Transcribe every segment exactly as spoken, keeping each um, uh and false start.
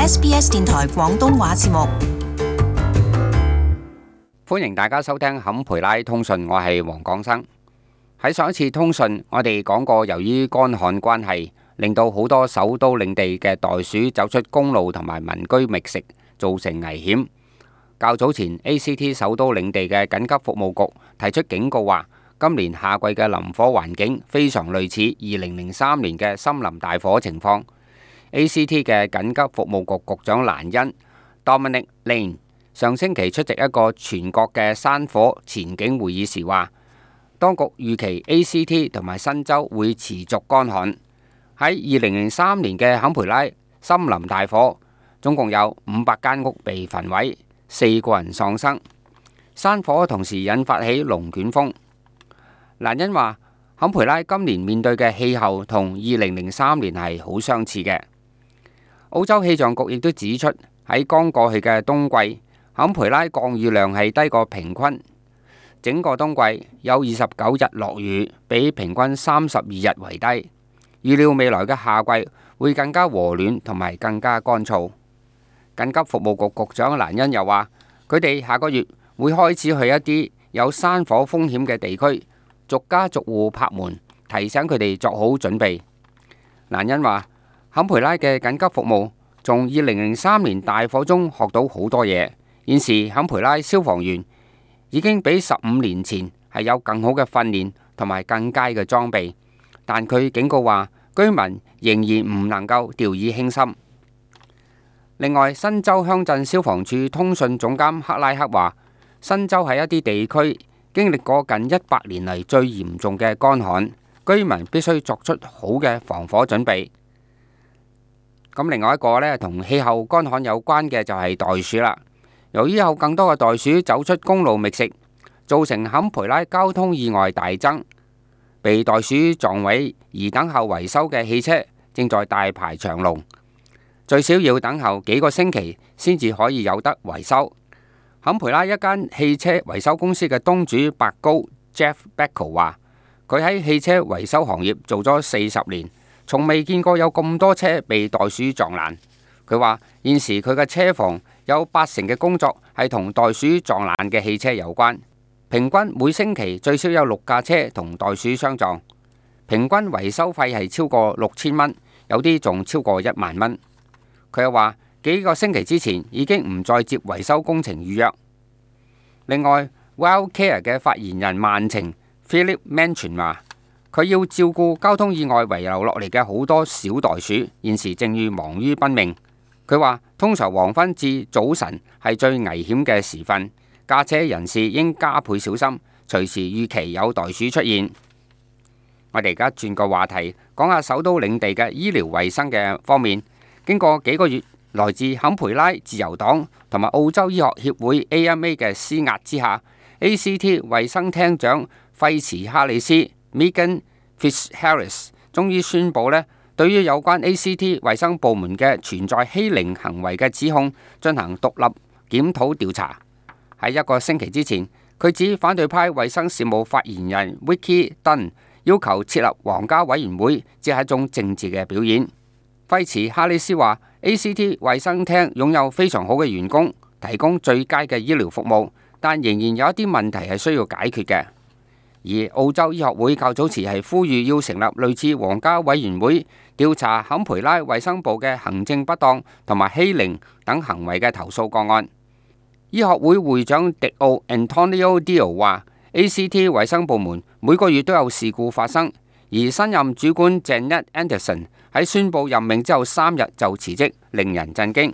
S B S 電台廣東話節目。歡迎大家收聽坎培拉通訊，我係黃廣生。喺上一次通訊，我哋講過，由於乾旱關係，令到好多首都領地嘅袋鼠走出公路同埋民居覓食，造成危險。較早前 A C T 首都領地嘅緊急服務局提出警告話，今年夏季嘅林火環境非常類似二零零三年嘅森林大火情況。A C T 嘅緊急服務局局長蘭恩 Dominic Lane 上星期出席一個全國嘅山火前景會議時話，當局預期 A C T 同埋新州會持續乾旱。喺二零零三年嘅坎培拉森林大火，總共有五百間屋被焚毀，四個人喪生。山火同時引發起龍捲風。蘭恩話，坎培拉今年面對嘅氣候同二零零三年係好相似嘅。澳洲氣象局亦都指出，喺剛過去嘅冬季，坎培拉降雨量係低過平均。整個冬季有二十九日落雨，比平均三十二日為低。預料未來嘅夏季會更加和暖同埋更加乾燥。緊急服務局局長蘭恩又話，佢哋下個月會開始去一啲有山火風險嘅地區，逐家逐戶拍門，提醒佢哋作好準備。蘭恩話，坎培拉嘅緊急服務從二零零三年大火中學到好多嘢。現時坎培拉消防員已經比十五年前係有更好嘅訓練同埋更佳嘅裝備，但佢警告話，居民仍然唔能夠掉以輕心。另外，新州鄉鎮消防處通訊總監克拉克話，新州喺一啲地區經歷過近一百年嚟最嚴重嘅乾旱，居民必須作出好嘅防火準備。咁另外一個呢，同氣候乾旱有關嘅就係袋鼠啦。由於有更多嘅袋鼠走出公路覓食，造成坎培拉交通意外大增。被袋鼠撞毀而等候維修嘅汽車正在大排長龍，最少要等候幾個星期先至可以有得維修。坎培拉一間汽車維修公司嘅東主白高 Jeff Beckle 話，佢喺汽車維修行業做咗四十年，從未見過有咁多車被袋鼠撞爛。佢話現時佢嘅車房有八成嘅工作係同袋鼠撞爛嘅汽車有關，平均每星期最少有六架車同袋鼠相撞，平均維修費係超過六千蚊，有啲仲超過一萬蚊。佢又話幾個星期之前已經唔再接維修工程預約。另外 Wildcare 嘅發言人萬晴 Philip Manchin 話，佢要照顧交通意外遺留落嚟嘅好多小袋鼠，現時正遇忙於奔命。佢話通常黃昏至早晨係最危險嘅時分，駕車人士應加倍小心，隨時預期有袋鼠出現。我哋而家轉個話題，講下首都領地嘅醫療衛生嘅方面。經過幾個月來自坎培拉自由黨同埋澳洲醫學協會 A M A 嘅施壓之下， A C T 衛生廳長費茨哈里斯 Megan Fitzharris 終於宣布呢，對於有關 A C T 衛生部門嘅存在欺凌行為嘅指控進行獨立檢討調查。喺一個星期之前，佢指反對派衛生事務發言人 Vicky Dunn 要求設立皇家委員會只係一種政治嘅表演。費茨哈里斯話 A C T 衛生廳擁有非常好嘅員工，提供最佳嘅醫療服務，但仍然有一啲問題係需要解決嘅。而澳洲醫學會較早時係呼籲要成立類似皇家委員會，調查坎培拉衛生部嘅行政不當同埋欺凌等行為嘅投訴個案。醫學會會長迪奧 Antonio Dio 話 A C T 衛生部門每個月都有事故發生，而新任主管 Janet Anderson 喺宣布任命之後三日就辭職，令人震驚。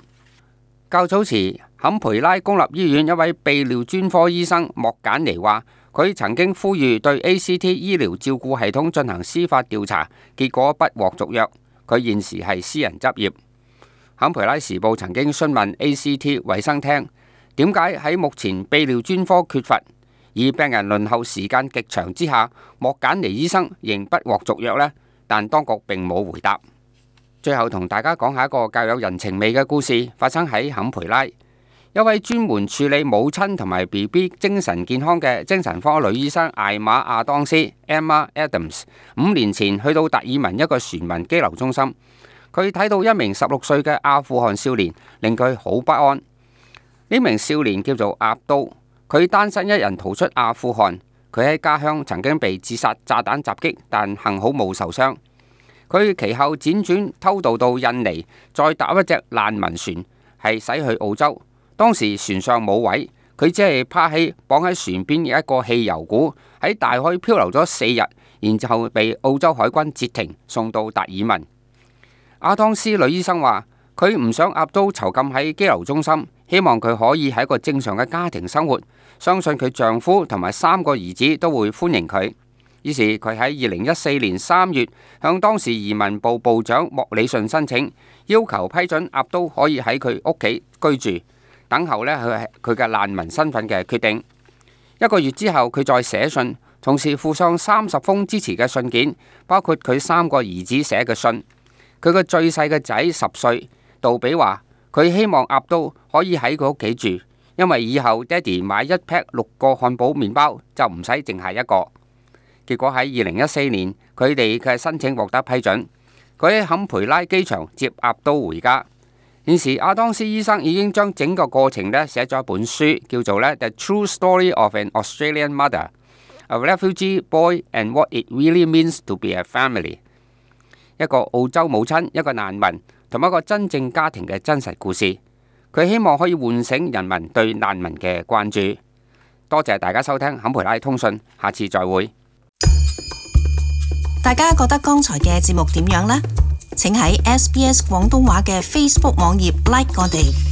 較早時坎培拉公立醫院一位泌尿專科醫生莫簡尼話，佢曾經呼籲對 A C T 醫療照顧系統進行司法調查，結果不獲續約。佢現時係私人執業。坎培拉時報曾經詢問 A C T 衛生廳點解喺目前泌尿專科缺乏，而病人輪候時間極長之下，莫簡尼醫生仍不獲續約呢？但當局並冇回答。最後同大家講下一個較有人情味嘅故事，發生喺坎培拉。一位專門處理母親同埋 B B 精神健康嘅精神科女醫生艾瑪亞當斯 Emma Adams， 五年前去到達爾文一個船民羈留中心，佢睇到一名十六歲嘅阿富汗少年，令佢好不安。呢名少年叫做阿都，佢單身一人逃出阿富汗。佢喺家鄉曾經被自殺炸彈襲擊，但幸好冇受傷。佢其後輾轉偷渡到印尼，再搭一隻難民船，係駛去澳洲。當時船上冇位，佢只係趴喺綁喺船邊嘅一個汽油鼓，喺大海漂流咗四日，然後被澳洲海軍截停，送到達爾文。阿當斯女醫生話：佢唔想阿都囚禁喺羈留中心，希望佢可以喺一個正常嘅家庭生活，相信佢丈夫同埋三個兒子都會歡迎佢。於是佢喺二零一四年三月向當時移民部部長莫里遜申請，要求批准阿都可以喺佢屋企居住，等候呢佢佢嘅難民身份嘅決定。一個月之後，佢再寫信，同時附上三十封支持嘅信件，包括佢三個兒子寫嘅信。佢個最細嘅仔十歲，杜比話佢希望阿都可以喺佢屋企住，因為以後爹哋買一 pack 六個漢堡麵包就唔使淨係一個。結果喺二零一四年，佢哋嘅申請獲得批准，佢喺坎培拉機場接阿都回家。現時阿當斯醫生已經將整個過程咧寫咗一本書，叫做咧《The True Story of an Australian Mother, a Refugee Boy and What It Really Means to Be a Family》，一個澳洲母親、一個難民同一個真正家庭嘅真實故事。佢希望可以喚醒人民對難民嘅關注。多謝大家收聽坎培拉通訊，下次再會。大家覺得剛才嘅節目點樣呢？請喺 S B S 廣東話嘅 Facebook 網頁 like 我哋。